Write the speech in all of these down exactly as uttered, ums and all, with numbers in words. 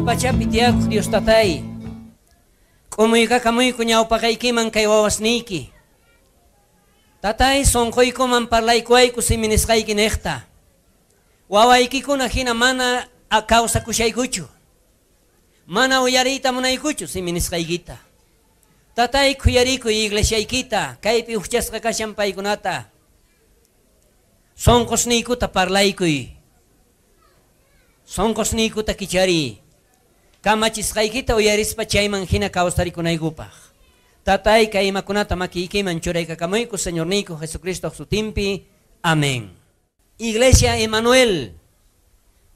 Janaj pachapi tiyakuq Dios tatay, k'umuykakamuyku ñawpaqaykiman kay wawasniyki. Tatay sonqoykuman parlaykuwayku simi nisqayki niqta. Wawaykikuna hina mana kawsakushaykuchu. Mana uyariyta munaykuchu simi nisqaykita. Tatay khuyarikuy iglesiaykita, kaypi ujchasqa kashan paykunata. Sonqosniykuta parlaykuy. Sonqosniykuta kichariy. Kamachisqaykita uyarispa chayman hina kawsarikunaykupaq. Tatay kay imakunata makiykiman churaykakamuyku Señorniyku Jesucristo sutinpi. Amén. Iglesia Emanuel,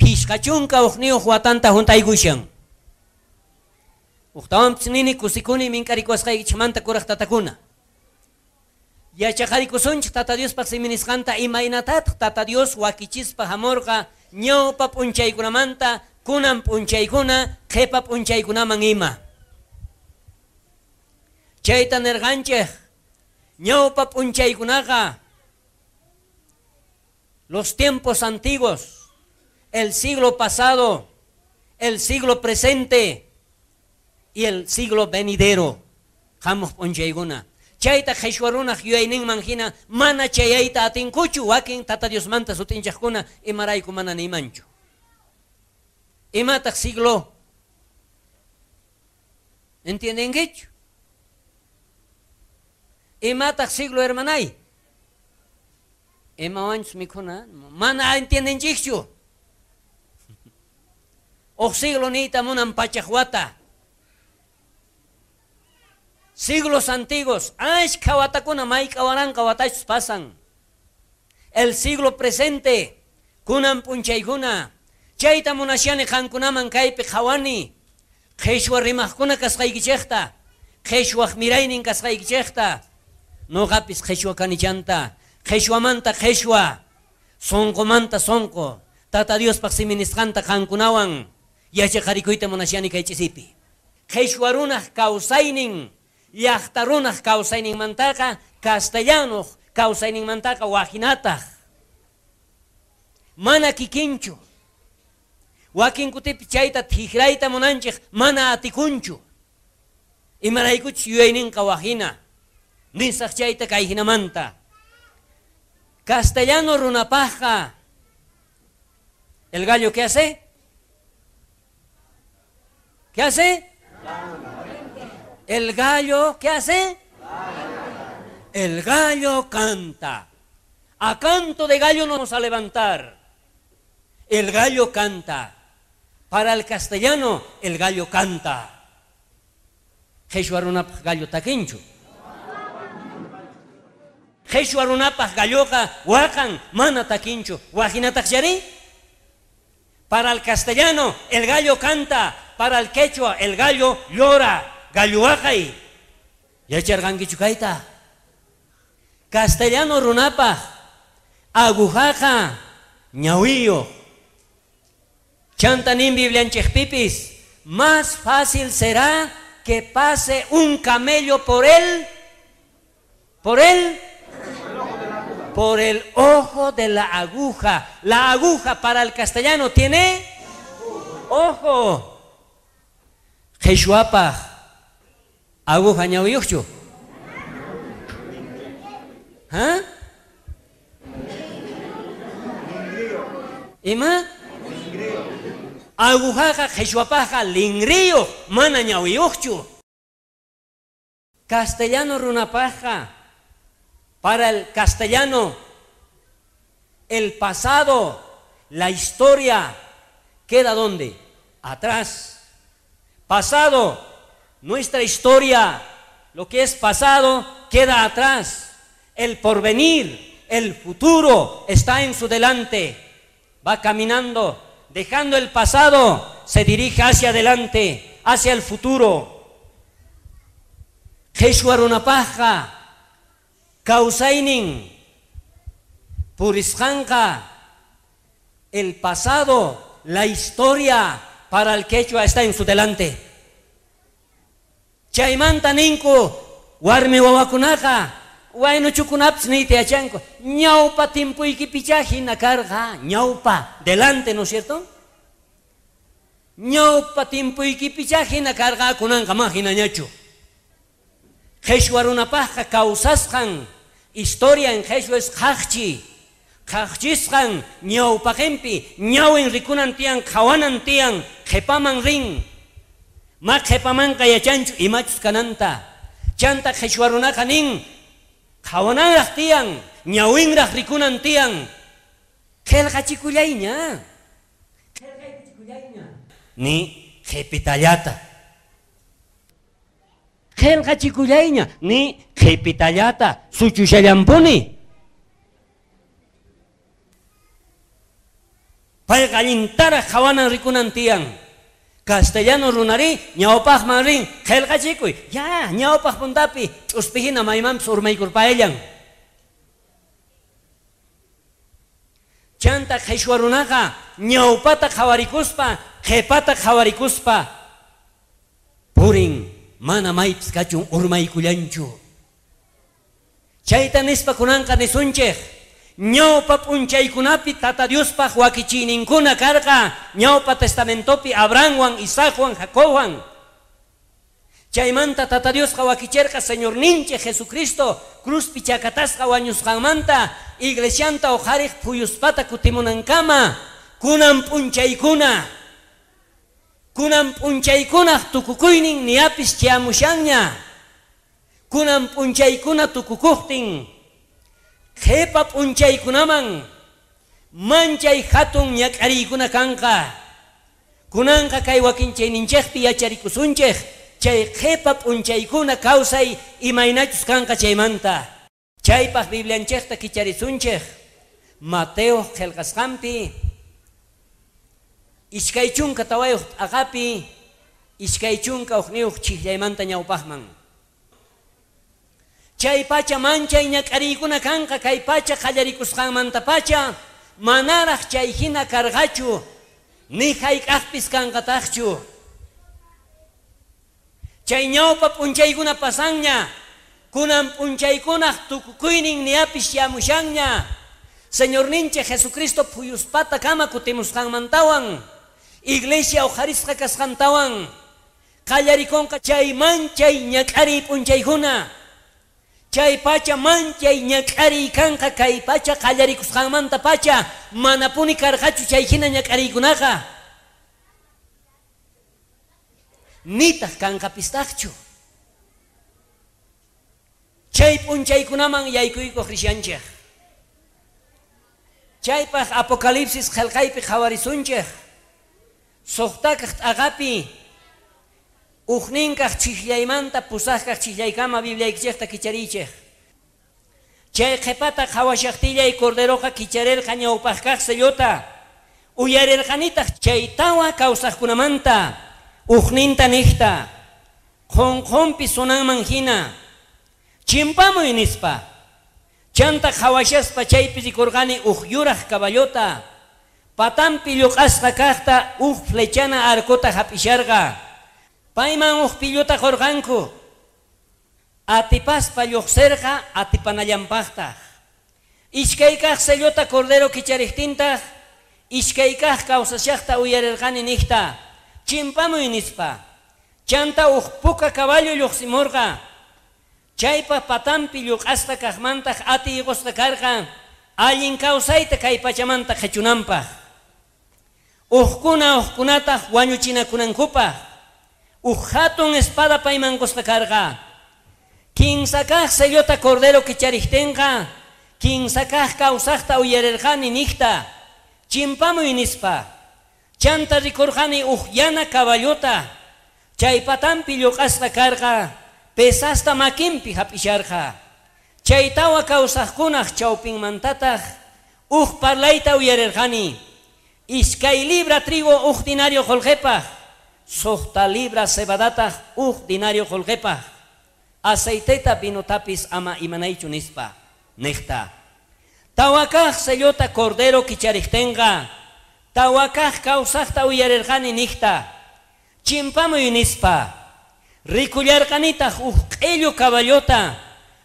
phishqa chunka uqniyuq watanta juntaykushan. Uqtawanpis nini kusikuni mink'arikuwasqaykichikmanta kuraq tatakuna. Yachaqarikusunchik Tata Diospaq simi nisqanta imaynatataq Tata Dios wakichispa hamurqa ñawpa p'unchaykunamanta kunan p'unchaykuna qhipa p'unchaykunaman ima. Chayta nirqanchik ñawpa p'unchaykunaqa los tiempos antiguos, el siglo pasado, el siglo presente y el siglo venidero. Hamuq p'unchaykuna. Chayta qhichwa runaq yuyayninman hina mana chayayta atinkuchu wakin Tata Diosmanta sutinchaqkuna imarayku mana nimanchu. Imataq siglo? ¿Entiendenkichu? Imataq siglo, hermanay? Imawanchus mikhuna mana entiendenchikchu. Uj siglo niyta munan pachaq wata. Siglos antiguos, ashkha watakuna mayk'a waranqa watachus pasan. El siglo presente, kunan p'unchaykuna. Chayta munashani qankunaman kaypi qhawani. Qhichwa rimaqkuna kasqaykichikta, qhichwaq miraynin kasqaykichikta. Noqapis qhichwa kanichanta, qhichwamanta qhichwa, sonqomanta sonqo. Tata Diospaq simi nisqanta qankunawan yachaqarikuyta munashani kay ch'isipi. Qhichwa runaq kawsaynin, llaqta runaq kawsayninmantaqa castellanoq kawsayninmantaqa wajinataq. Mana kikinchu. Wakin kutipi chayta tijrayta munanchik mana atikunchu. Imaraykuchus yuyayninqa wajina. Nisaq chayta kay hinamanta. Castellano runapaqqa, ¿el gallo qué hace? ¿Qué hace? El gallo, ¿qué hace? El gallo canta. A canto de gallo nos vamos a levantar. El gallo canta. Para el castellano, el gallo canta. Qhichwa runapaq gallo takinchu. Qhichwa runapaq galloqa waqan mana takinchu. Wajinataq chari? Para el castellano, el gallo canta. Para el quechua, el gallo llora. Gallo waqay. Yacharqankichu kayta? Castellano runapaq agujaqa ñawiyuq. Chanta nin biblianchikpipis, más fácil será que pase un camello por él, por él, por el ojo de la aguja. La aguja para el castellano tiene ojo. Qhichwapaq aguja ñawiyuqchu? ¿Ah? Ima? Agujaqa qhichwapaqqa lingriyuq, mana ñawiyuqchu. Castellano runapaqqa, para el castellano, el pasado, la historia, ¿queda dónde? Atrás. Pasado, nuestra historia, lo que es pasado, queda atrás. El porvenir, el futuro, está en su delante. Va caminando, dejando el pasado, se dirige hacia adelante, hacia el futuro. Qhichwa runapaqqa kawsaynin purisqanqa, el pasado, la historia, para el quechua está en su delante. Chaymanta ninku warmi wawakunaqa waynuchukunapis niyta yachanku ñawpa timpuykipicha hina karqa, ñawpa, delante, ¿no es cierto? Ñawpa timpuykipicha hina karqa kunanqa ma hinañachu. Qheshwa runapaqqa kawsasqan historia en qheshwa es qhaqchi. Qhaqchisqan ñawpaqinpi ñawin rikunan tiyan qhawanan tiyan qhipaman rin. Ma qhipamanqa yachanchu imachus kananta. Chanta qheshwa runaqa nin qhawananraq tiyan ñawinraq rikunan tiyan. Qhelqachikullayña. Qhelqachikullayña. Ni qhipitallata. Qhelqachikullayña ni qhipitallata suchushallampuni. Payqa allintaraq qhawanan rikunan tiyan. Castellano runari ñawpaqman rin qhelqachikuy. Ya ñawpaq puntapi ch'uspihina maymanpis urmaykurpaellan. Chanta qheshwa runaqa ñawpata qhawarikuspa qhipata qhawarikuspa purin mana maypis kachun urmaykullanchu. Chayta nispa kunanqa nisunchej ñawpa p'unchaykunapi Tata Diospaq wakichiyninkuna karqa ñawpa testamentopi Abrahamwan, Isaacwan, Jacobwan. Chaymanta Tata Diosqa wakicherqa Señorninchej Jesucristo cruzpi chakatasqa wañusqanmanta iglesianta uqhariq phuyuspata kutimunankama kunan p'unchaykuna. Kunan p'unchaykunaq tukukuynin niyapis chayamushanña. Kunan p'unchaykuna tukukuqtin qhipa p'unchaykunaman manchay hatun ñak'ariykuna kanqa. Kunanqa kay wakinchayninchejpi yacharikusunchej chay qhipa p'unchaykuna kawsay imaynachus kanqa chaymanta. Chaypaq Biblianchejta kicharisunchej Mateo qhelqasqanpi iskay chunka tawayuq t'aqapi iskay chunka uqniyuq chijllaymanta ñawpaqman. Chay pacha manchay ñak'ariykuna kanqa kay pacha qallarikusqanmanta pacha manaraq chay hina karqachu ni hayk'aqpis kanqataqchu. Chay ñawpa p'unchaykuna pasanña kunan p'unchaykunaq tukukuynin niyapis yamushanña. Señorninchej Jesucristo phuyuspata kama kutimusqanmantawan iglesia uqharisqa kasqantawan qallarikunqa chay manchay ñak'ariy p'unchaykuna. Chay pacha manchay ñak'ariy kanqa kay pacha qallarikusqanmanta pacha manapuni karqachu chay hina ñak'ariykunaqa. Nitaq kanqapistaqchu. Chay p'unchaykunaman yaykuykuq rishanchej. Chaypaq Apocalipsis qhelqaypi qhawarisunchej. Suqtakaq t'aqapi uqninkaq chijllaymanta pusaqkaq chijllaykama Bibliaykichejta kichariychej. Chay qhipata qhawashaqtillay corderoqa kicharerqa ñawpaqkaq sellota. Uyarirqanitaq chay tawa kawsaqkunamanta uqninta niqta qhonqhonpi sunanman hina chimpamuy nispa. Chanta qhawashaspa chaypi rikurqani uq yuraq caballota patampi lluq'asqa kaqta uq flechana arcota hap'isharqa. Payman uq pilluta qurqanku. Atipaspa lluqsirqa atipanallanpaqtaq. Iskay kaq sellota cordero kichariqtintaq iskay kaq kawsashaqta uyarirqani niqta chimpamuy nispa. Chanta uq puka caballo lluqsimurqa. Chaypa patampi lluq'asqa kaqmantaq atiyqusqa karqa allin kawsayta kay pachamanta qhichunanpaq. Uqkuna uqkunataq wañuchinakunankupaq. Uq hatun espada payman qusqa karqa. Kinsa kaq sellota cordero kichariqtinqa kinsa kaq kawsaqta uyarirqani niqta chimpamuy nispa. Chanta rikurqani uq yana caballota chay patampi lluq'asqa karqa pesasta makinpi hap'isharqa. Chay tawa kawsaqkunaq chawpinmantataq uq parlayta uyarirqani. Iskay libra trigo uq dinario qullqipaq, suqta libra cebadataq uq dinario qullqipaq. Aceiteta vinotapis ama imanaychu nispa niqta. Tawakaq sellota cordero kichariqtinqa tawakaq kawsaqta uyarirqani niqta chimpamuy nispa. Rikullarqanitaq uq q'illu caballota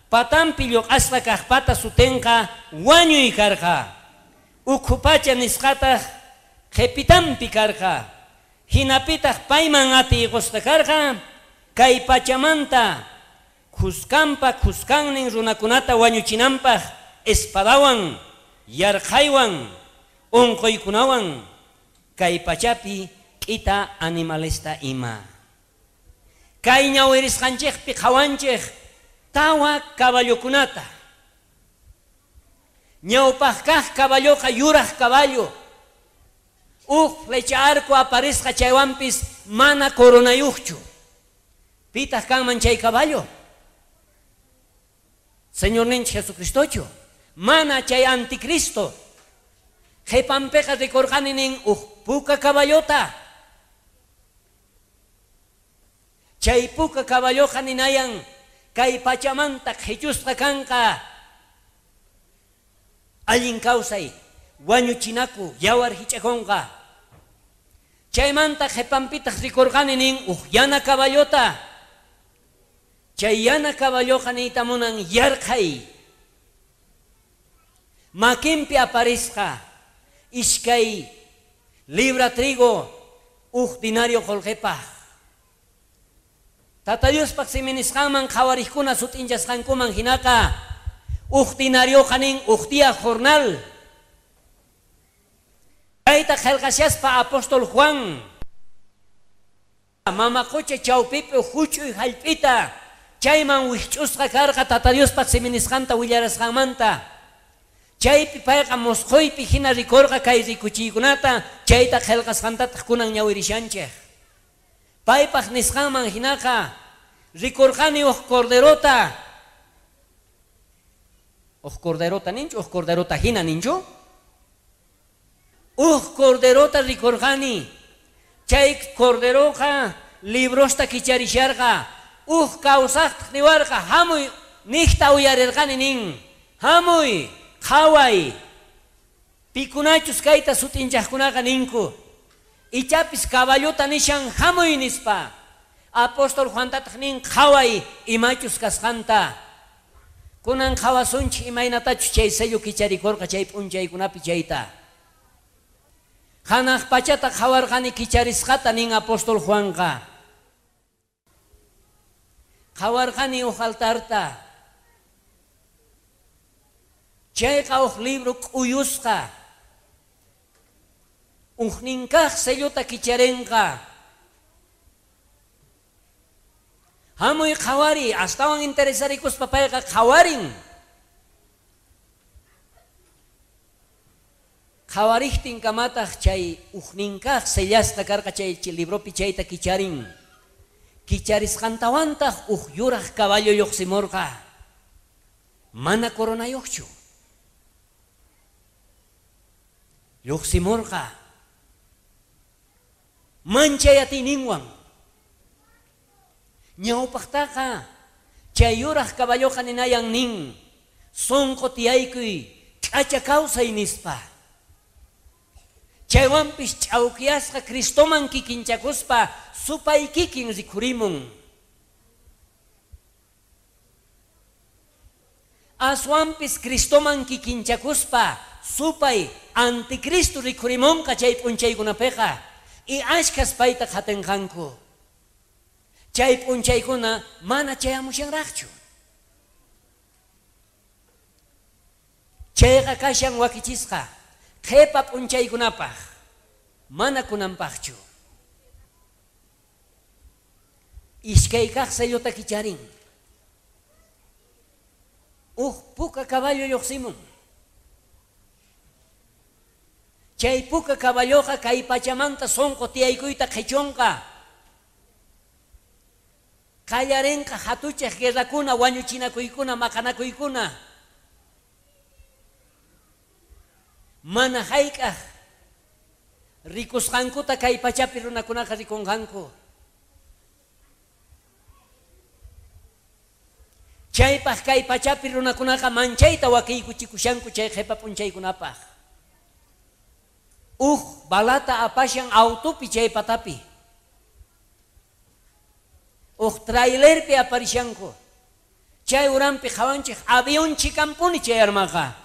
patampi lluq'asqa kaqpata sutinqa wañuy karqa. Ukhu pacha nisqataq qhipitanpi karqa. Hinapitaq payman atiy qusqa karqa kay pachamanta khuskanpa khuskannin runakunata wañuchinanpaq espadawan, yarqhaywan, unquykunawan kay pachapi k'ita animalesta ima. Kay ñawirisqanchikpi qhawanchik tawa caballokunata. Ñawpaq kaq caballoqa yuraq caballo. Uj flecha arco aparisqa chaywanpis mana coronayuqchu. Pitaq kanman chay caballo? Señorninchik Jesucristochu. Mana chay anticristo. Qhipanpiqa rikurqani nin uj puka caballota. Chay puka caballoqa ninayan kay pachamanta qhichusqa kanqa. Allin kawsay, wañuchinaku, yawar hich'akunqa. Chaymanta qhipanpitaq rikurqani nin uj yana caballota. Chay yana caballoqa niyta munan yarqhay. Makinpi aparisqa iskay libra trigo uj dinario qolqepaq. Tata Diospaq siminisqanman qhawarikuna sut'inchasqankuman hinaqa uj dinarioqa nin uj día jornal. Kayta qhelqashaspa apóstol Juan mama qocha chawpipi huch'uy hallp'ita chayman wikch'usqa karqa Tata Diospaq siminisqanta willarasqanmanta. Chaypi payqa mosqoypi hina rikurqa kay rikuchiykunata chayta qhelqasqantataq kunan ñawirishanchik. Paypaq nisqanman hinaqa rikurqani uj corderota. Uj corderota ninchu, uj corderota hina ninchu? Uj corderota rikurqani. Chay corderoqa librosta kicharisharqa. Uj kawsaqtaq niwarqa hamuy niqta uyarirqani nin. Hamuy, qhaway. Pikunachus kayta sut'inchaqkunaqa ninku. Ichapis caballota nishan hamuy nispa. Apóstol Juantataq nin qhaway imachus kasqanta. Kunan qhawasunchik imaynatachus chay sello kicharikurqa chay p'unchaykunapi chayta. Hanaq pachata qhawarqani kicharisqata nin apóstol Juanqa. Qhawarqani uj altarta. Chayqa uj libro k'uyusqa. Ujninkaq sellota kicharenqa. Hamuy qhawari, astawan interesarikuspa payqa qhawarin. Qhawariktin kamataq chay ujninkaq sellasqa karqa chay libropi chayta kicharin. Kicharisqantawantaq uj yuraq caballo lluqsimurqa. Mana coronayuqchu. Lluqsimurqa. Manchay atiyninwan. Ñawpaqtaqa chay yuraq caballoqa ninayan nin sunqu tiyaykuy k'acha kawsay nispa. Chaywanpis ch'awkiyasqa Cristoman kikinchakuspa supay kikin rikhurimun. Aswanpis Cristoman kikinchakuspa supay anticristo rikhurimunqa chay p'unchaykunapiqa. Y ashkhas payta qhatinqanku. Chay p'unchaykuna mana chayamushanraqchu. Chayqa kashan wakichisqa qhipa p'unchaykunapaq mana kunanpaqchu. Iskay kaq sellota kicharin. Uj puka caballo lluqsimun. Chay puka caballoqa kay pachamanta sunqu tiyaykuyta qhichunqa. Qallarinqa hatuchaq guerrakuna, wañuchinakuykuna, maqanakuykuna. Mana hayk'aq rikusqankuta kay pachapi runakunaqa rikunqanku. Chaypaq kay pachapi runakunaqa manchayta wakiykuchikushanku chay qhipa p'unchaykunapaq. Uj balata apashan autopi chay patapi. Uj trailerpi aparishanku. Chay uranpi qhawanchik avión chikampuni chay armaqa.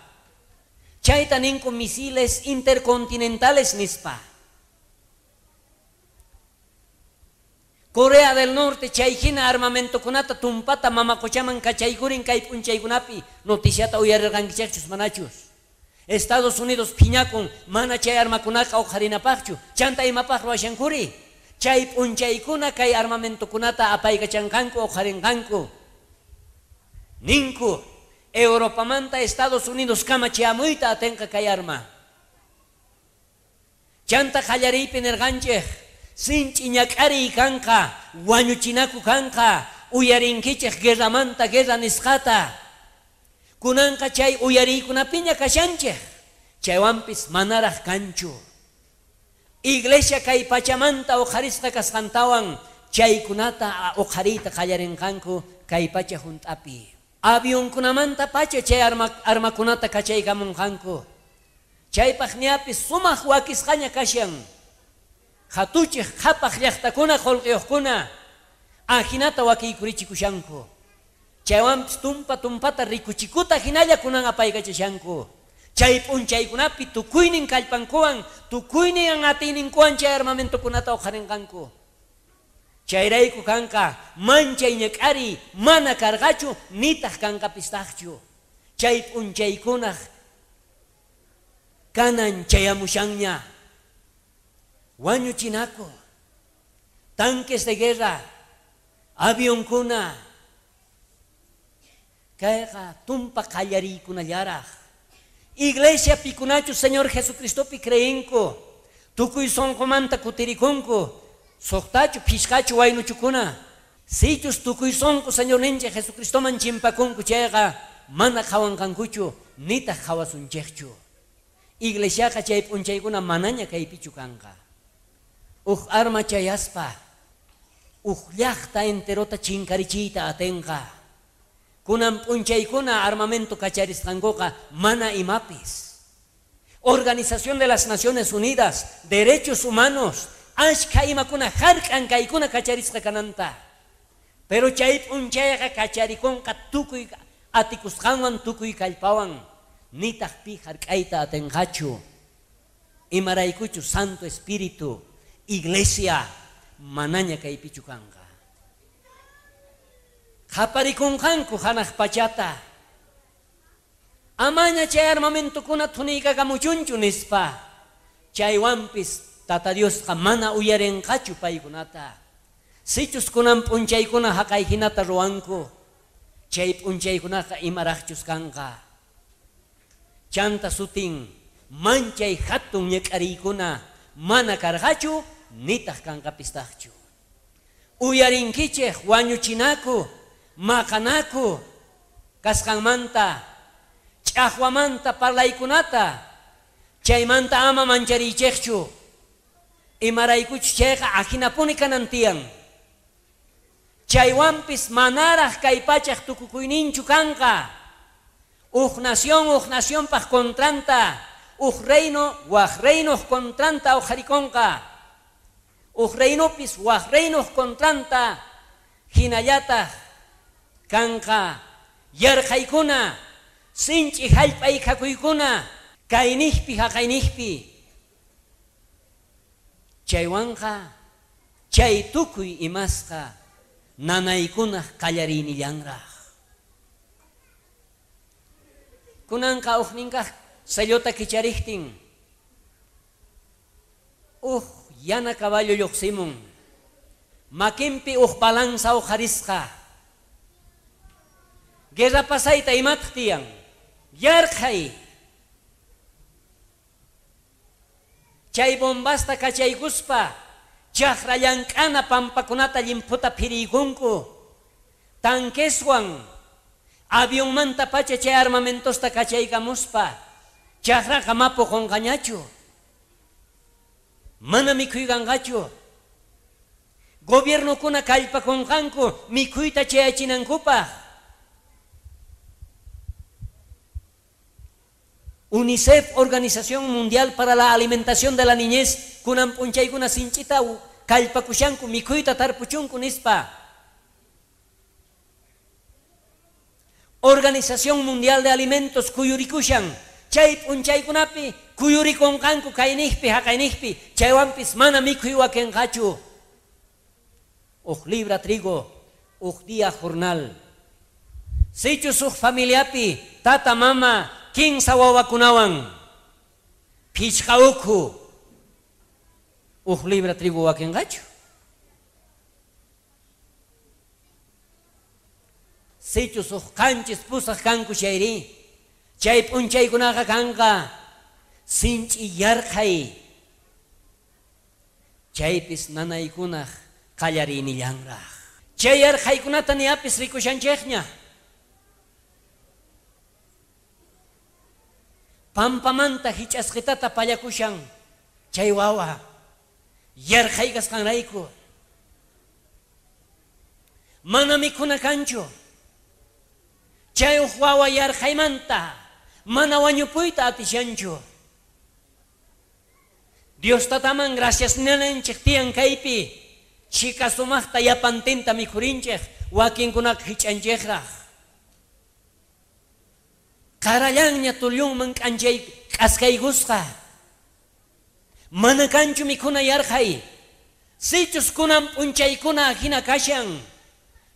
Chayta ninku misiles intercontinentales nispa. Corea del Norte chay hina armamentokunata tumpata mamakochaman kachaykurin kay p'unchaykunapi noticiata uyarirqankichikchus manachus. Estados Unidos phiñakun mana chay armakunaka uqharinapaqchu chanta imapaq ruwashankuri chay p'unchaykuna kay armamentokunata apaykachanqanku uqharinqanku ninku Europamanta Estados Unidos kama chayamuyta atenqa kay arma. Chanta qallariypi nirqanchik sinchi ñak'ariy kanqa wañuchinaku kanqa uyarinkichik guerramanta guerra nisqata kunanqa chay uyariykunapiña kashanchik chaywanpis manaraq kanchu. Iglesia kay pachamanta uqharisqa kasqantawan chaykunata uqhariyta qallarinqanku kay pacha hunt'api. Avionkunamanta pacha chay arma, armakunata kachaykamunqanku chaypaq ñapis sumaq wakisqaña kashan hatuchik qhapaq llaqtakuna qullqiyuqkuna ajinata wakiykurichikushanku chaywanpis tumpa tumpata rikuchikuta hinalla kunan apaykachashanku chay p'unchaykunapi tukuynin kallpankuwan tukuynin atiyninkuwan chay armamentokunata uqharinqanku. Chayrayku kanqa manchay ñak'ariy mana karqachu nitaq kanqapistaqchu chay p'unchaykunaq kanan chayamushanña wañuchinaku tanques de guerra avionkuna kayqa tumpa qallariykunallaraq. Iglesia pikunachu Señor Jesucristopi creenku tukuy sunqumanta kutirikunku suqtachu phishqachu waynuchukuna sichus tukuy sunqu Señorninchik Jesucristoman chimpakunku chayqa mana qhawanqankuchu nitaq qhawasunchikchu. Iglesiaqa chay p'unchaykuna manaña kaypichu kanqa. Uj arma chayaspa uj llaqta enterota chinkarichiyta atenqa. Kunan p'unchaykuna armamento kacharisqankuqa mana imapis. Organización de las Naciones Unidas, Derechos Humanos, ashka imakuna hark'an kaykuna kacharisqa kananta. Pero chay p'unchayqa kacharikunqa tukuy atikusqanwan tukuy kallpawan nitaq pi hark'ayta atenqachu. Imaraykuchu Santo Espíritu, Iglesia manaña kaypichu kanqa. Qhaparikunqanku hanaq pachata amaña chay armamentokuna thuniykakamuchunchu nispa chaywanpis Tata Diosqa mana uyarinqachu paykunata. Sichus kunan p'unchaykuna haqay hinata ruwanku chay p'unchaykunaqa imaraqchus kanqa. Chanta sutin manchay hatun ñak'ariykuna mana karqachu nitaq kanqapistaqchu. Uyarinkichik wañuchinaku maqanaku kasqanmanta ch'aqwamanta parlaykunata chaymanta ama manchariychikchu imaraykuchu chayqa ajinapuni kanan tiyan. Chaywanpis manaraq kay pachaq tukukuyninchu kanqa. Uj nación uj nacionpaq kontranta uj reino waj reinoq kontranta uqharikunqa uj reinopis waj reinoq kontranta hinallataq kanqa yarqaykuna sinch'i hallp'aykakuykuna kayniqpi haqayniqpi chaywanqa chay tukuy imasqa nanaykunaq qallariynillanraq. Kunanqa uqninkaq sellota kichariqtin uj yana caballo lluqsimun makinpi uj balanza uqharisqa. Guerra pasayta imataq tiyan yarqhay chay bombasta kachaykuspa chaqra llank'ana pampakunata llimphuta phiriykunku tanqueswan avionmanta pacha chay armamentosta kachaykamuspa chaqraqa mapu qunqañachu mana mikhuykanqachu. Gobiernokuna kallpakunqanku mikhuyta chayachinankupaq. UNICEF, Organización Mundial para la Alimentación de la Niñez, kunan p'unchaykuna sinch'ita kallpakushanku mikhuyta tarpuchunku nispa. Organización Mundial de Alimentos kuyurikushan chay p'unchaykunapi kuyurikunqanku kayniqpi haqayniqpi chaywanpis mana mikhuy wakinqachu. Uj libra trigo, uj día jornal. Sichus uj familiapi tata mama kinsa wawakunawan phichqa ukhu uj libra trigo wakinqachu. Sichus uj qanchis pusaq kanku chayri, chay p'unchaykunaqa kanqa sinch'i yarqhay. Chaypis nanaykunaq qallarinillanraq. Chay yarqhaykunata niapis rikushanchikña. Pampamanta hich'asqitata pallakushan chay wawa yarqhay kasqanrayku. Mana mikhuna kanchu. Chay uj wawa yarqhaymanta mana wañupuyta atishanchu. Dios tataman gracias ninanchik tiyan kaypi chika sumaqta yapantinta mikhurinchik wakinkunaqa hich'anchikraq. Qarallanña tullunman k'anchay k'askaykusqa. Mana kanchu mikhuna yarqhay. Sichus kunan p'unchaykuna hina kashan,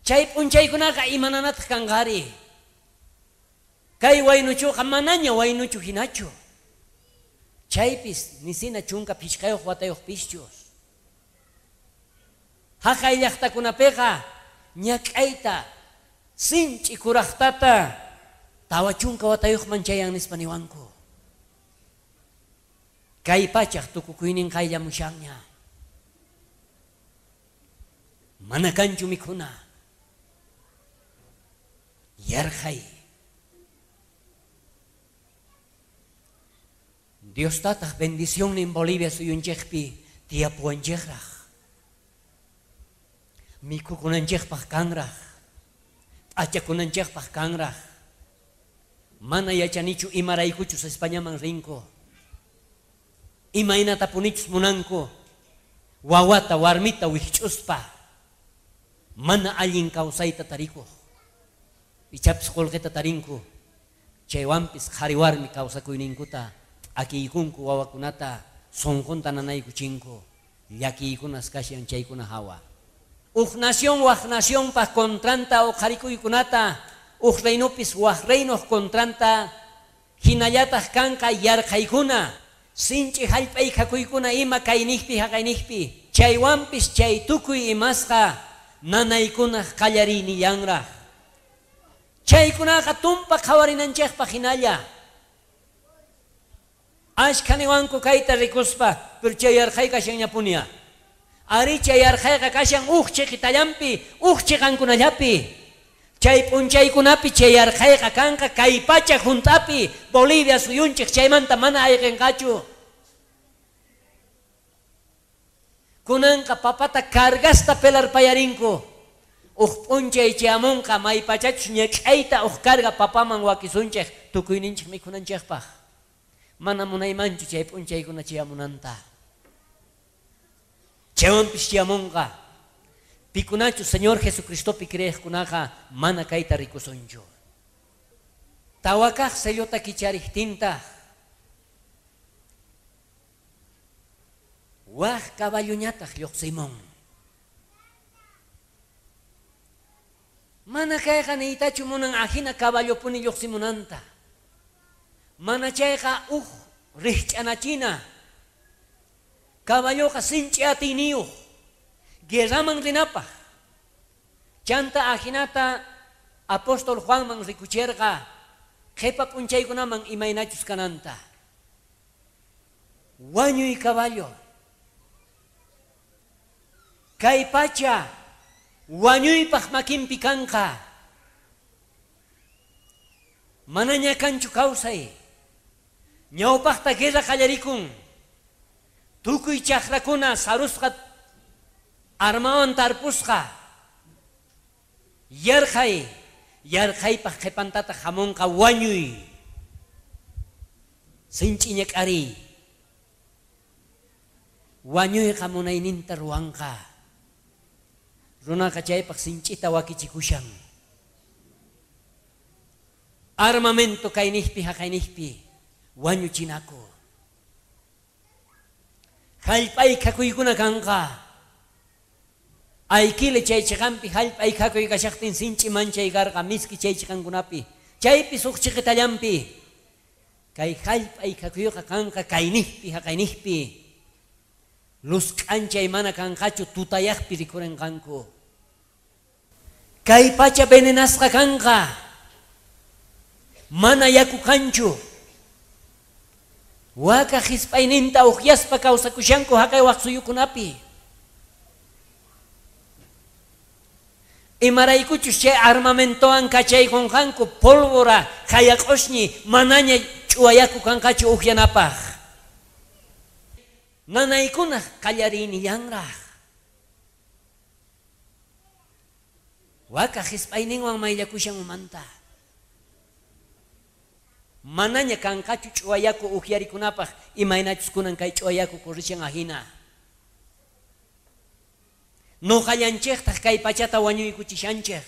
chay p'unchaykunaqa imananataq kanqari. Kay waynuchuqa manaña waynuchu hinachu. Chaypis nisina chunka phichqayuq watayuq pischus. Haqay llaqtakunapiqa ñak'ayta sinch'i kuraqtata tawa chunka watayuqman chayan nispa niwanku. Kay pachaq tukukuynin qayllamushanña. Mana kanchu mikhuna. Yarqhay. Dios tataq bendición en Bolivia suyunchikpi tiyapuwanchikraq. Mikhukunanchikpaq kanraq. P'achakunanchikpaq kanraq. Mana yachanichu imaraykuchus Españaman rinku. Imaynatapunichus munanku. Wawata warmita wikch'uspa. Mana allin kawsayta tarikuq. Ichapis qullqita tarinku. Chaywanpis qhari warmi kawsakuyninkuta akiykunku wawakunata sunqunta nanaykuchinku. Llakiykunas kashan chaykuna hawa. Uj nación waj nacionpaq kontranta uqharikuykunata uj reinopis waj reinoq kontranta hinallataq kanqa yarqhaykuna sinch'i hallp'aykakuykuna ima kayniqpi haqayniqpi. Chaywanpis chay tukuy imasqa nanaykunaq qallarinillanraq. Chaykunaqa tumpa qhawarinanchikpaq hinalla. Ashka niwanku kayta rikuspa, pero chay yarqhay kashanñapunia. Ari chay yarqhayqa kashan uj chiqitallanpi, uj chiqankunallapi. Chay p'unchaykunapi chay yarqhayqa kanqa kay pacha hunt'api Bolivia suyunchik chaymanta mana ayqinqachu. Kunanqa papata cargasta pelarpayarinku. Uj p'unchay chayamunqa maypachachus ñak'ayta uj carga papaman wakisunchik tukuyninchik mikhunanchikpaq. Mana munaymanchu chay p'unchaykuna chayamunanta. Chaywanpis chayamunqa. Pikunachu Señor Jesucristopi creeqkunaqa mana kayta rikusunchu. Tawakaq sellota kichariqtintaq waj caballuñataq lluqsimun. Mana kayqa niytachu munan ajina caballopuni lluqsimunanta. Mana chayqa uj rikch'anachina. Caballoqa sinch'i atiyniyuq guerraman rinapaq. Chanta ajinata apóstol Juanman rikucherqa qhipa p'unchaykunaman imaynachus kananta. Wañuy caballo. Kay pacha wañuypaq makinpi kanqa. Manaña kanchu kawsay. Ñawpaqta guerra qallarikun. Tukuy chaqrakuna sarusqa armawan tarpusqa. Yarqhay, yarqhaypaq qhipantata hamunqa wañuy. Sinch'i ñak'ariy. Wañuyqa munayninta ruwanqa. Runaqa chaypaq sinch'ita wakichikushan. Armamento kayniqpi haqayniqpi wañuchinaku. Hallp'aykakuykuna kanqa. Aykile chay chiqanpi hallp'a ikhakuy kashaqtin sinchi manchay karqa miski chay chiqankunapi. Chaypi suq chiqitallanpi. Kay hallp'a ikhakuyqa kanqa kaynijpi haqaynijpi. Luz k'anchay mana kanqachu tutayaqpi rikurinqanku. Kay pacha venenasqa kanqa. Mana yaku kanchu. Waka hisp'ayninta uqyaspa kawsakushanku haqay waq suyukunapi. Imaraykuchus chay armamentowan kachaykunqanku pólvora hayaq'ushñi manaña ch'uwa yaku kanqachu uqyanapaq. Nanaykunaq qallariynillanraq. Waka hisp'ayninwan mayllakushan umanta. Manaña kanqachu ch'uwa yaku uqyarikunapaq imaynachus kunan kay ch'uwa yaku corrishan ahina. Noqallanchejtaq kay pachata wañuykuchishanchej.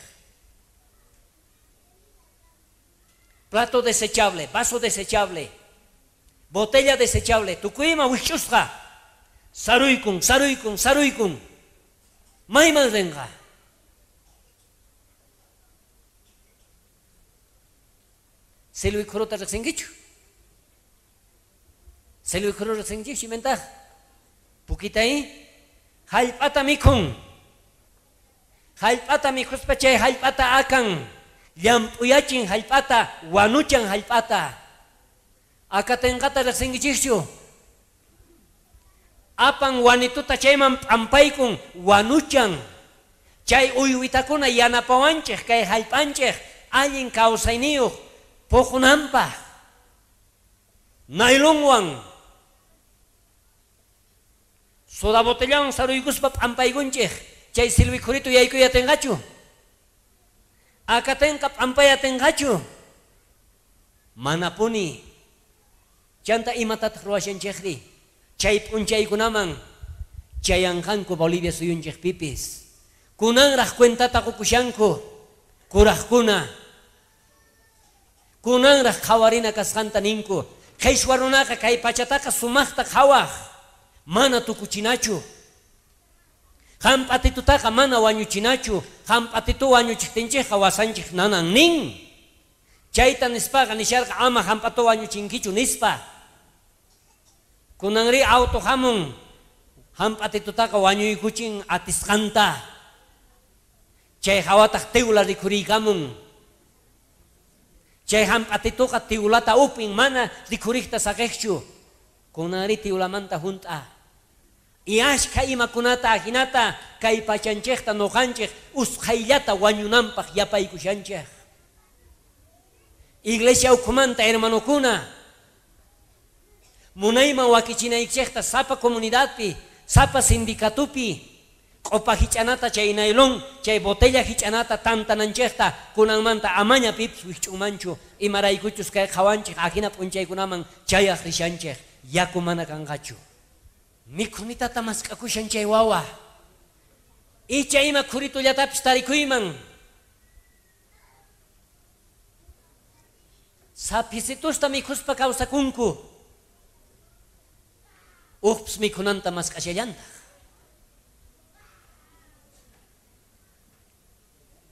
Plato desechable, vaso desechable, botella desechable, tukuyma wikch'usqa. Saruykun, saruykun, saruykun. Mayman rinqa. Silwikhurota riqsinkichu? Silwikhuru riqsinkichu chimentaq? Pukitay hallp'ata mikhun. Hallp'ata mikhuspa chay hallp'ata akan. Llamp'uyachin hallp'ata, wanuchan hallp'ata. Akatinqata riqsinkichikchu? Apan wanituta chayman p'ampaykun wanuchan. Chay uywitakuna yanapawanchej kay hallp'anchej allin kawsayniyuq puqunanpaq. Nailonwan soda botellawan saruykuspa p'ampaykunchej chay silwikhuritu yaykuy atinqachu? Akatinqa p'ampay atinqachu? Manapuni. Chanta imatataq ruwashanchejri? Chay p'unchaykunaman chayanqanku Bolivia suyunchejpipis. Kunanraq cuentata qukushanku kuraqkuna. Kunanraq qhawarina kasqanta ninku. Qhishwa runaqa kay pachataqa sumaqta qhawaq. Mana tukuchinachu. Hamp'atitutaqa mana wañuchinachu. Hamp'atitu wañuchiqtinchikqa wasanchik nanan nin. Chayta nispaqa nisharqa ama hamp'atu wañuchinkichu nispa. Kunanri auto hamun. Hamp'atitutaqa wañuykuchin atisqanta. Chay hawataq tiwla rikhuriykamun. Chay hamp'atituqa tiwlata upin mana rikhuriqta saqiqchu. Kunanri tiwlamanta hunt'a. Y ashka imakunata ajinata kay pachanchejta noqanchej usqhayllata wañunanpaq yapaykushanchej. Iglesia ukhumanta hermanokuna munayman wakichinaykichejta sapa comunidadpi, sapa sindicatupi q'upa hich'anata chay nailon, chay botella hich'anata tantananchejta kunanmanta amaña pipis wikch'unmanchu imaraykuchus kay qhawanchej ajina p'unchaykunaman chayaq rishanchej yaku mana kanqachu. Mikhunitata mask'akushan chay wawa. Icha ima khuritullatapis tarikuyman. Saphisitusta mikhuspa kawsakunku. Ujpis mikhunanta mask'ashallantaq.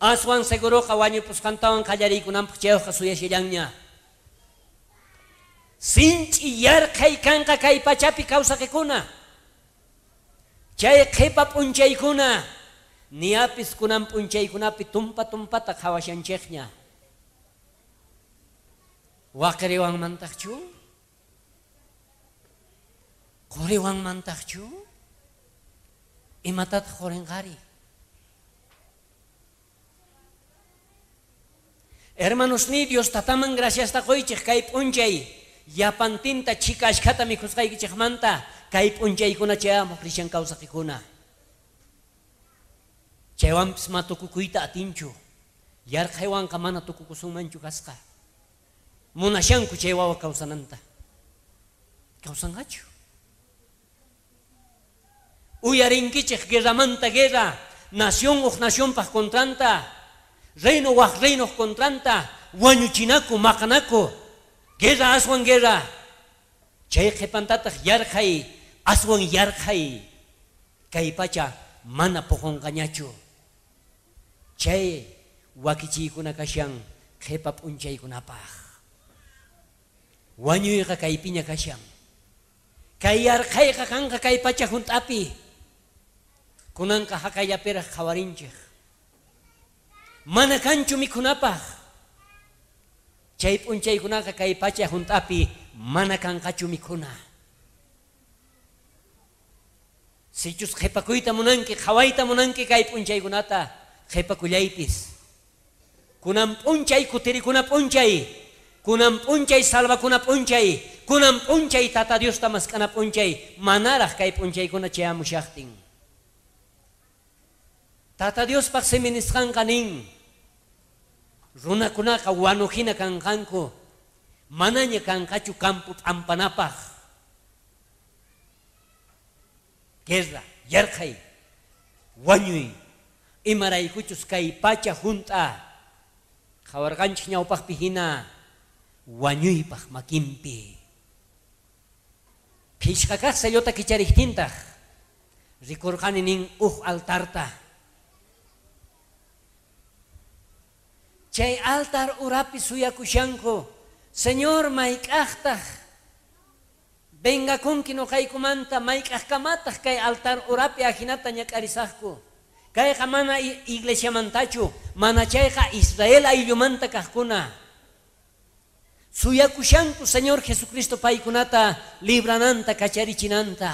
Aswan seguroqa wañupusqantawan qallariykunanpaq chayuqqa suyashallanña. Sinch'i yarqhay kanqa kay pachapi kawsaqikuna. Chay qhipa p'unchaykuna niyapis kunan p'unchaykunapi tumpa tumpata qhawashanchejña. Waqriwanmantaqchu? Quriwanmantaqchu? Imatataq qurinqari? Hermanos ni Dios tataman gracias ta qoychej kay p'unchay yapantinta chika ashkhata mikhusqaykichejmanta kay p'unchaykuna chayamuq rishan kawsaqikuna. Chaywanpis ma tukukuyta atinchu. Yarqhaywanqa mana tukukusunmanchu kasqa. Munashanku chay wawa kawsananta. Kawsanqachu? Uyarinkichej guerramanta guerra, nación uj nacionpaq contranta, reino waj reinoq contranta, wañuchinaku maqanaku, guerra aswan guerra. Chay qhipantataq yarqhay, aswan yarqhay. Kay pacha mana poqonqañachu. Chay wakichiykuna kashan qhipa p'unchaykunapaj. Wañuyqa kaypiña kashan. Kay yarqhayqa kanqa kay pacha hunt'api. Kunanqa haqayllapiraj qhawarinchej. Mana kanchu mikhunapaj. Chay p'unchaykunaqa kay pacha hunt'api mana kanqachu mikhuna. Sichus qhipakuyta munanki, qhawayta munanki kay p'unchaykunata, qhipakullaypis. Kunan p'unchay kutirikuna p'unchay, kunan p'unchay salvakuna p'unchay, kunan p'unchay Tata Diosta mask'ana p'unchay, manaraj kay p'unchaykuna chayamushaqtin. Tata Diospaq simi nisqanqa nin, runakunaqa wanuhina kanqanku, manaña kanqachu campo p'ampanapaq. Guerra, yarqhay, wañuy, imaraykuchus kay pacha hunt'a, qhawarqanchik ñawpaqpi hina wañuypaq makinpi. Phishqa kaq sellota kichariqtintaq, rikurqani nin uj altarta. Chay altar urapi suyakushanku, Señor mayk'aqtaq vengakunki noqaykumanta, mayk'aqkamataq kay altar urapi ajinata ñak'arisaqku. Kayqa mana iglesiamantachu, mana chayqa Israel ayllumanta kaqkuna. Suyakushanku Señor Jesucristo paykunata librananta kacharichinanta.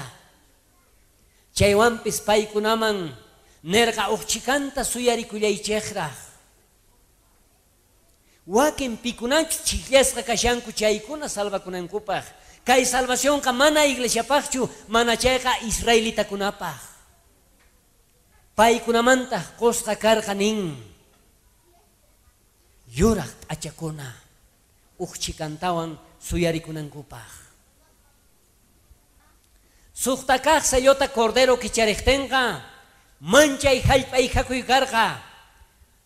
Chaywanpis paykunaman nerqa uqchikanta suyarikullaychejraj. Wakin pikunachu chijllasqa kashanku chaykuna salvakunankupaj. Kay salvacionqa mana iglesiapajchu, mana chayqa israelitakunapaj. Paykunamantaq qusqa karqa nin yuraq p'achakuna uqchikantawan suyarikunankupaj. Suqta kaq sellota cordero kichariqtinqa manchay hallp'a ihakuy karqa,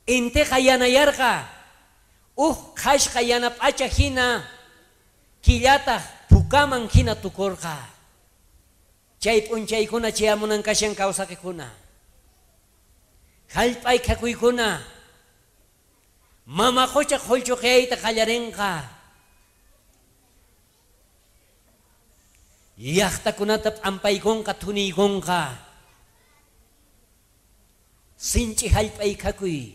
intiqa yanayarqa, uj qhashqa yana p'acha hina killataq pukaman hina tukurqa. Chay p'unchaykuna chayamunan kashan kawsaqikuna. Hallp'a ikhakuykuna mama qucha qhullchuqiyayta qallarinqa. Llaqtakunata p'ampaykunqa thuniykunqa. Sinch'i hallp'a ikhakuy.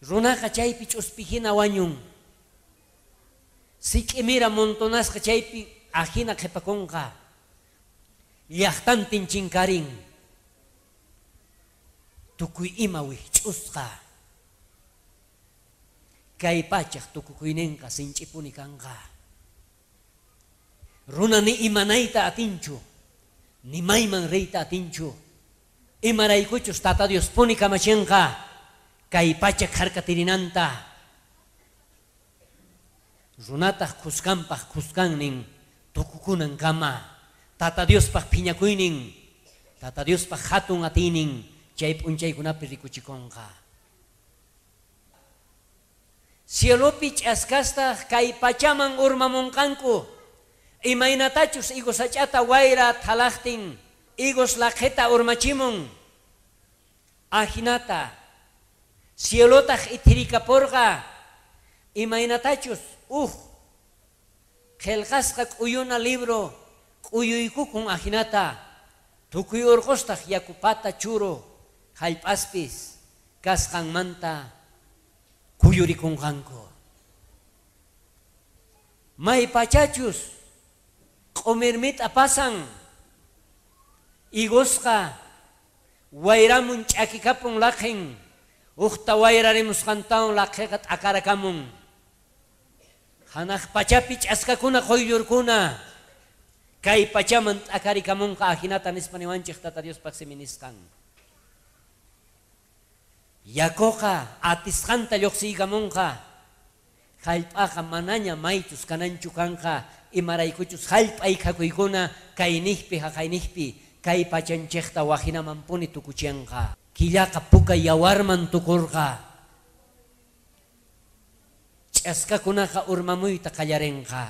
Runaqa chaypi ch'uspi hina wañun. Sik'imira montonasqa chaypi ajina qhipakunqa. Llaqtantin chinkarin. Tukuy ima wikch'usqa. Kay pachaq tukukuyninqa sinch'ipuni kanqa. Runa ni imanayta atinchu, ni mayman riyta atinchu. Imaraykuchus Tata Diospuni kamachinqa kay pacha kharkatirinanta. Runataq khuskanpaq khuskannin tukukunankama. Tata Diospaq phiñakuynin, Tata Diospaq hatun atiynin chay p'unchaykunapi rikuchikunqa. Cielopi ch'askastaq kay pachaman urmamunqanku. Imaynatachus higos sach'ata wayra thalaqtin, higos laqheta urmachimun. Ajinata cielotaq ithirikaporqa. Imaynatachus uj qhelqasqa k'uyuna libro k'uyuykukun ajinata. Tukuy urqustaq yakupata churu hallp'aspis kasqanmanta kuyurikunqanku. May pachachus q'umirmita pasan, higosqa wayramun ch'akikapun laqhin, uqta wayrarimusqantawan laqhiqa t'akarakamun. Hanaq pachapi ch'askakuna quyllurkuna kay pachaman t'akarikamunqa ajinata nispa niwanchej Tata Diospaq simi nisqan. Yakuqa atisqanta lluqsiykamunqa. Hallp'aqa manaña maychus kananchu kanqa, imaraykuchus hallp'a ikhakuykuna kayniqpi haqayniqpi kay pachanchejta wajinamanpuni tukuchinqa. Killaqa puka yawarman tukurqa. Ch'askakunaqa urmamuyta qallarinqa.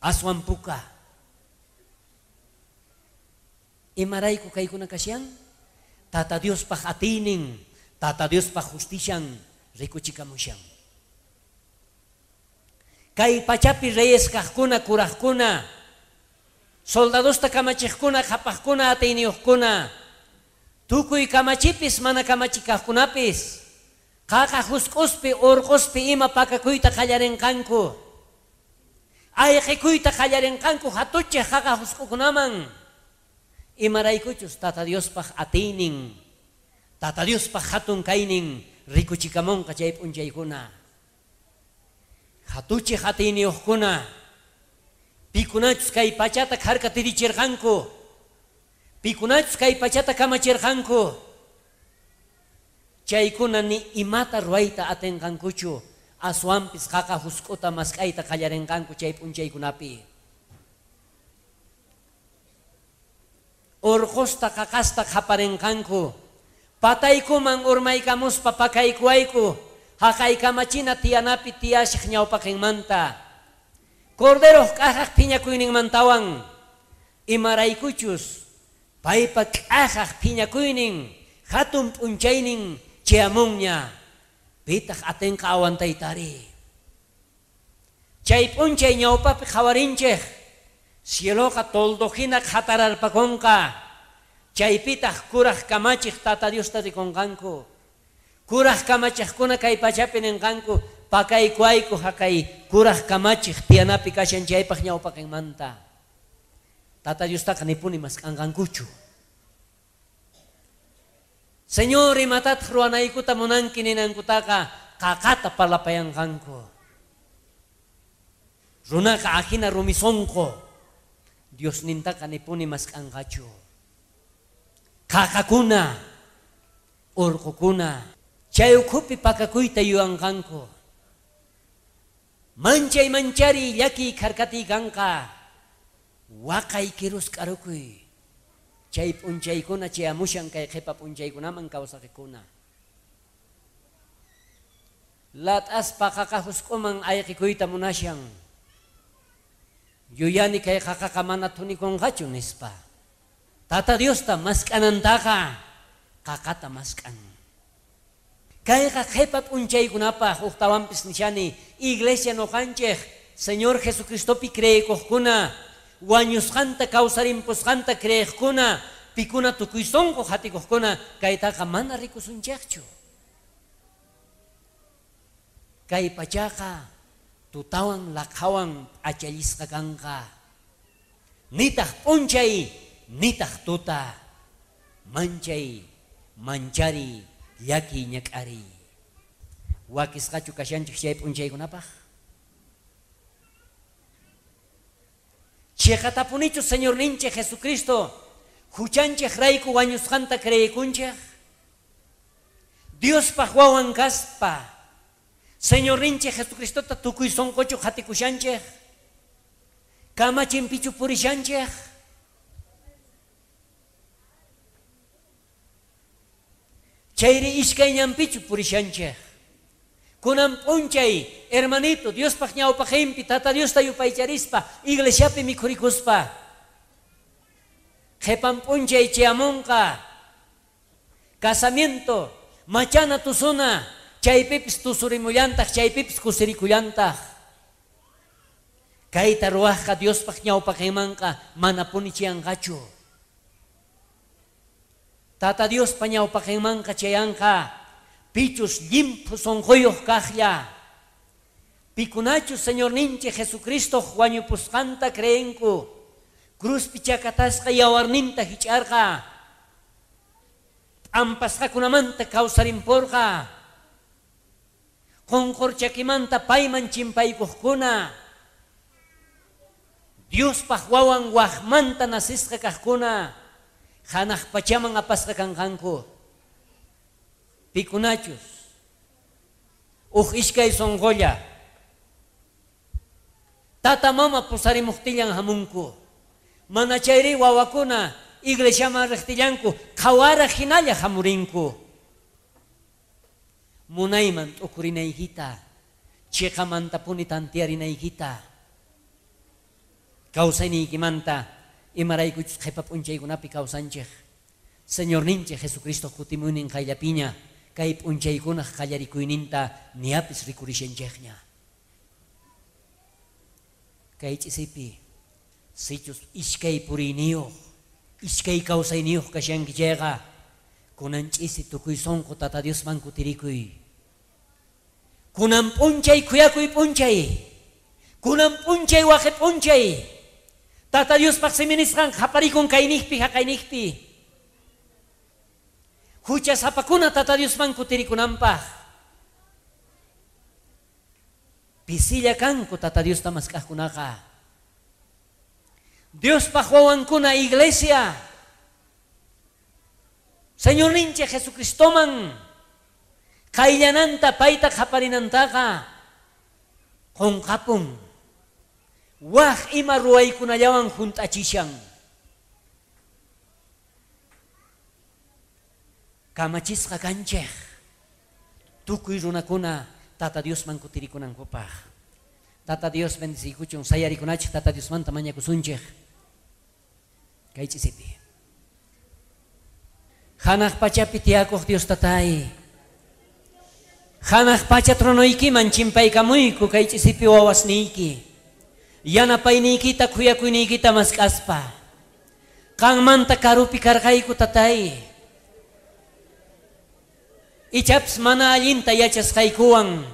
Aswan puka. Imarayku kaykuna kashan? Tata Diospaj atiynin, Tata Diospaj justishan rikuchikamushan. Kay pachapi reyes kajkuna, kurajkuna, soldadosta kamachejkuna, qhapajkuna, atiyniyojkuna, tukuy kamachipis mana kamachi kajkunapis, qaqa jusk'uspi, urquspi ima pakakuyta qallarinqanku. Ayqikuyta qallarinqanku hatuchej qaqa jusk'ukunaman. Imaraykuchus Tata Diospaj atiynin, Tata Diospaj hatun kaynin rikuchikamunqa chay p'unchaykuna. Hatuchej atiyniyuqkuna, pikunachus kay pachata kharkatirichirqanku, pikunachus kay pachata kamachirqanku, chaykuna ni imata ruwayta atinqankuchu, aswanpis qaqa jusk'uta mask'ayta qallarinqanku chay p'unchaykunapi. Urqusta qaqasta qhaparinqanku, pataykuman urmaykamuspa pakaykuwayku, haqay kamachina tiyanapi tiyashaq ñawpaqinmanta, Corderoq k'ajaq phiñakuyninmantawan, imaraykuchus paypa k'ajaq phiñakuynin hatun p'unchaynin chayamunña, pitaq atinqa awantaytari. Chay p'unchay ñawpapi qhawarinchej, cieloqa toldojina qhatararpakunqa, chaypitaq kuraj kamachej Tata Diosta rikunqanku. Kuraj kamachejkuna kay pachapi ninqanku, pakaykuayku haqay kuraj kamachej tiyanapi kashan chaypaq ñawpaqinmanta. Tata Diostaqa nipuni mask'anqankuchu. Señor, imatataq ruwanaykuta munanki ninankutaqa qaqata parlapayanqanku. Runaqa ajina rumisonqo, Diosnintaqa nipuni mask'anqachu. Qaqakuna, urqukuna, chay ukhupi pakakuyta yuyanqanku. Manchay manchari llakiy kharkatiy kanqa, waqay kirusk'arukuy. Chay p'unchaykuna chayamushan kay qhipa p'unchaykunaman kawsaqikuna. Lat'aspa qaqa jusk'uman ayqikuyta munashan. Yuyani kay qaqaqa mana thunikunqachu nispa. Tata Diosta mask'anantaqa qaqata mask'an. Kayqa qhipa p'unchaykunapaj uqtawanpis nishani, iglesia noqanchej Señor Jesucristopi creekuqkuna, wañusqanta kawsarimpusqanta creejkuna, pikuna tukuy sunqu qhatikuqkuna, kaytaqa mana rikusunchejchu. Kay pachaqa tutawan laqhawan p'achallisqa kanqa. Nitaq p'unchay, nitaq tuta, manchay, manchari, llaki ñak'ari. Wakisqachu kashanchej chay p'unchaykunapaj? Chiqatapunichu Señorninchej Jesucristo huchanchej rayku wañusqanta creekunchej? Diospaj wawan kaspa Señorninchej Jesucristota tukuy sunquchu qhatikushanchej? Kamachinpichu purishanchej? Chayri iskay ñanpichu purishanchej? Kunan p'unchay, hermanito, Diospaj ñawpaqinpi Tata Diosta yupaycharispa, iglesiapi mikhurikuspa, qhipan p'unchay chayamunqa, casamiento, machana tusuna, chaypipis tusurimullantaq, chaypipis kusirikullantaq. Kayta ruwajqa Diospaj ñawpaqinmanqa manapuni chayanqachu. Tata Diospa ñawpaqinmanqa chayanqa, pichus llimphu sunquyuq kaqlla. Pikunachus Señorninchik Jesucristo wañupusqanta creenku, cruzpi chakatasqa yawarninta hich'arqa, p'ampasqakunamanta kawsarimporqa, qunqurchakimanta payman chimpaykuqkuna, Diospaj wawan wajmanta nasisqa kaqkuna, hanaq pachaman apasqa kanqanku. Pikunachus uj iskay sunqulla tata mama pusarimuqtillan hamunku, mana chayri wawakuna iglesiaman riqtillanku qhawaraq hinalla hamurinku. Munayman t'ukurinaykita, chiqamantapuni tantiarinaykita, kawsayniykimanta Imaraykuchus qhipa p'unchaykunapi kawsanchej. Señorninchej Jesucristo kutimuynin qayllapiña kay p'unchaykunaj qallarikuyninta niapis rikurishanchejña. Kay ch'isipi sichus iskay puriyniyuq, iskay kawsayniyuq kashanki chayqa, kunan ch'isi tukuy sunqu Tata Diosman kutirikuy. Kunan p'unchay khuyakuy p'unchay, kunan p'unchay waqi p'unchay. Tata Diospaq siminisqan qaparikun kayniqpi haqayniqpi. Huchasapakuna Tata Diosman kutirikunanpaq. Pisilla kanku Tata Diosta mask'aqkunaqa. Diospaq wawankuna iglesia. Señorninchik Jesucristoman qayllananta payta qaparinantaqa qunqapun. Waj ima ruwaykunallawan junt'achishan. Kamachisqa kanchej tukuy runakuna Tata Diosman kutirikunankupaq. Tata Dios bendeciykuchun, sayarikunachej Tata Diosmanta mañakusunchej. Kay ch'isipi. Hanaq pachapi tiyakuq Dios Tatay, hanaq pacha tronoykiman chimpaykamuyku kay ch'isipi wawasniyki. Yanapayniykita khuyakuyniykita mask'aspa. Qanmanta karupi karqayku Tatay. Ichapis mana allinta yachasqaykuwan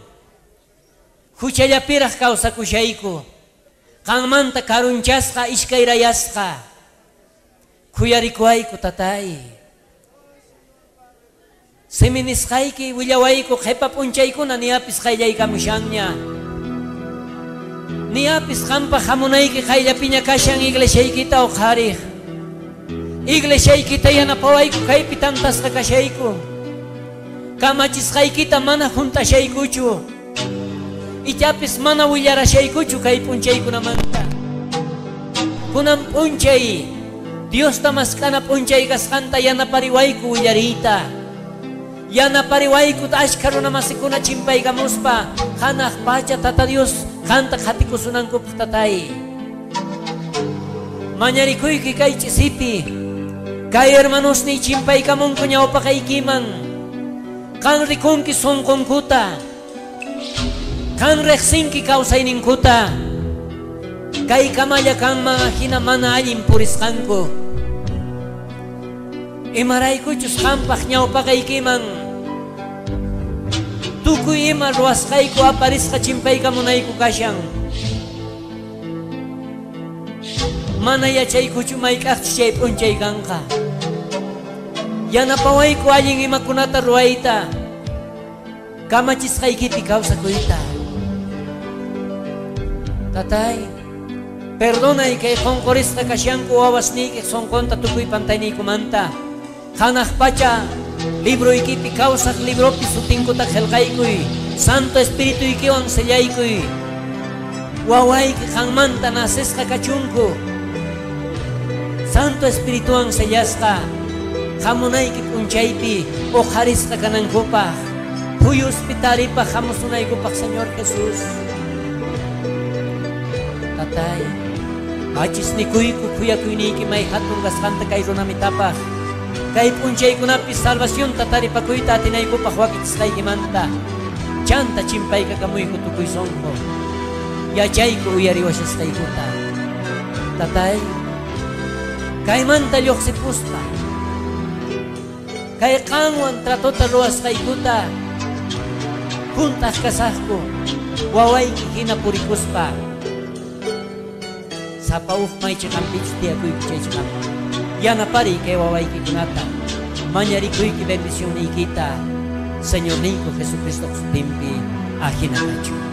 huchallapiraq kawsakushayku. Qanmanta karunchasqa iskayrayasqa. Khuyarikuwayku Tatay. Siminisqayki willawayku qhipa p'unchaykuna niapis qayllaykamushanña. Niapis qanpaq hamunayki qayllapiña kashan iglesiaykita uqhariq. Iglesiaykita yanapawayku kaypi tantasqa kashayku. Kamachisqaykita mana junt'ashaykuchu. Ichapis mana willarashaykuchu kay p'unchaykunamanta. Kunan p'unchay Diosta mask'ana p'unchay kasqanta yanapariwayku willariyta. Yanapariwayku ashkha runamasikuna chimpaykamuspa hanaq pacha Tata Dios qanta qhatikusunankupaq Tatay. Mañarikuyki kay ch'isipi kay hermanosniy chimpaykamunku ñawpaqaykiman. Qan rikunki sunqunkuta, qan riqsinki kawsayninkuta. Kay kamalla kanman ajina mana allin purisqanku. Imaraykuchus qanpaq ñawpaqaykiman tukuy ima ruwasqayku aparisqa chimpaykamunayku kashan. Mana yachaykuchu mayk'aqchus chay p'unchay kanqa. Yanapawayku allin imakunata ruwayta, kamachisqaykipi kawsakuyta. Tatay, perdonay kay qunqurisqa kashanku wawasniyki sunqunta tukuy pantayniykumanta. Hanaq pacha libroykipi kawsaq libropi sutinkuta qillqaykuy, Santo Espirituykiwan sellaykuy. Wawayki qanmanta nacesqa kachunku. Santo Espirituwan sellasqa hamunayki p'unchaypi uqharisqa kanankupaq, phuyuspi taripaq hamusunaykupaq Señor Jesús. Tatay, achisnikuyku khuyakuyniyki may hatun kasqanta kay runamitapaq. Kay p'unchaykunapi salvacionta taripakuyta atinaykupaq wakichisqaykimanta. Chanta chimpaykakamuyku tukuy sunqu. Yachayku uyariwashasqaykuta. Tatay, kaymanta lluqsipuspa kay qanwan tratota ruwasqaykuta junt'aq kasaqku wawayki hina purikuspa. Sapa uj maychiqanpichus tiyakuyku chaychiqanpi. Yanapariy kay wawaykikunata, mañarikuyki bendicionniykiта, Señorniyku Jesucristo sutinpi ajina kachu.